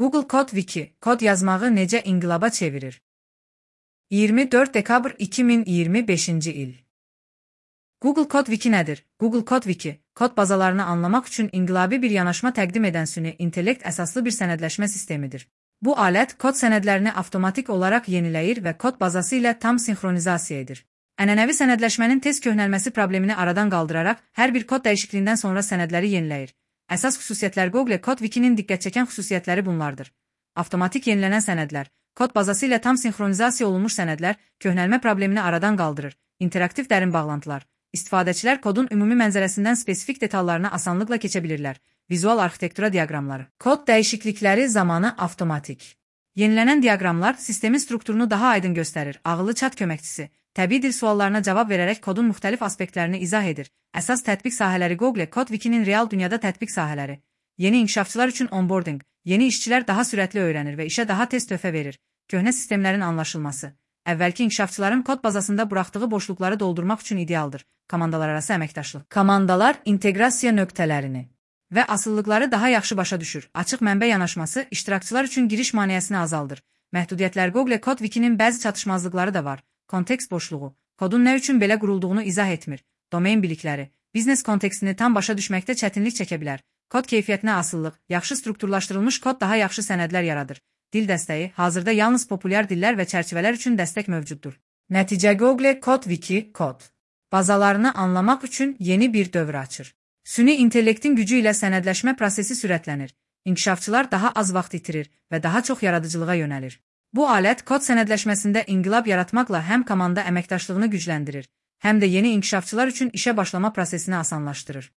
Google Kod Wiki, kod yazmağı necə inqilaba çevirir? 24 dekabr 2025-ci il. Google Kod Wiki nədir? Google Kod Wiki, kod bazalarını anlamaq üçün inqilabi bir yanaşma təqdim edən süni intellekt əsaslı bir sənədləşmə sistemidir. Bu alət kod sənədlərini avtomatik olaraq yeniləyir və kod bazası ilə tam sinxronizasiya edir. Ənənəvi sənədləşmənin tez köhnəlməsi problemini aradan qaldıraraq hər bir kod dəyişikliyindən sonra sənədləri yeniləyir. Əsas xüsusiyyətlər Google Kod Wiki-nin diqqət çəkən xüsusiyyətləri bunlardır. Avtomatik yenilənən sənədlər, kod bazası ilə tam sinxronizasiya olunmuş sənədlər köhnəlmə problemini aradan qaldırır. İnteraktiv dərin bağlantılar. İstifadəçilər kodun ümumi mənzərəsindən spesifik detallarına asanlıqla keçə bilirlər. Vizual arxitektura diaqramları. Kod dəyişiklikləri zamanı avtomatik. Yenilənən diaqramlar sistemin strukturunu daha aydın göstərir. Ağıllı chat köməkçisi təbii dil suallarına cavab verərək kodun müxtəlif aspektlərini izah edir. Əsas tətbiq sahələri Google Kod Wiki-nin real dünyada tətbiq sahələri. Yeni inkişafçılar üçün onboarding. Yeni işçilər daha sürətli öyrənir və işə daha tez töhfə verir. Köhnə sistemlərin anlaşılması. Əvvəlki inkişafçıların kod bazasında buraxdığı boşluqları doldurmaq üçün idealdır. Komandalar arası əməkdaşlıq. Komandalar inteqrasiya nöqtələrini və asıllıqları daha yaxşı başa düşür. Açıq mənbə yanaşması iştirakçılar üçün giriş maneəsini azaldır. Məhdudiyyətlər Google Kod Wiki-nin bəzi çatışmazlıqları da var. Kontekst boşluğu. Kodun nə üçün belə qurulduğunu izah etmir. Domain bilikləri. Biznes kontekstini tam başa düşməkdə çətinlik çəkə bilər. Kod keyfiyyətinə asıllıq. Yaxşı strukturlaşdırılmış kod daha yaxşı sənədlər yaradır. Dil dəstəyi. Hazırda yalnız populyar dillər və çərçivələr üçün dəstək mövcuddur. Nəticə Google Kod Wiki kod bazalarını anlamaq üçün yeni bir dövr açır. Süni intellektin gücü ilə sənədləşmə prosesi sürətlənir. İnkişafçılar daha az vaxt itirir və daha çox yaradıcılığa yönəlir. Bu alət kod sənədləşməsində inqilab yaratmaqla həm komanda əməkdaşlığını gücləndirir, həm də yeni inkişafçılar üçün işə başlama prosesini asanlaşdırır.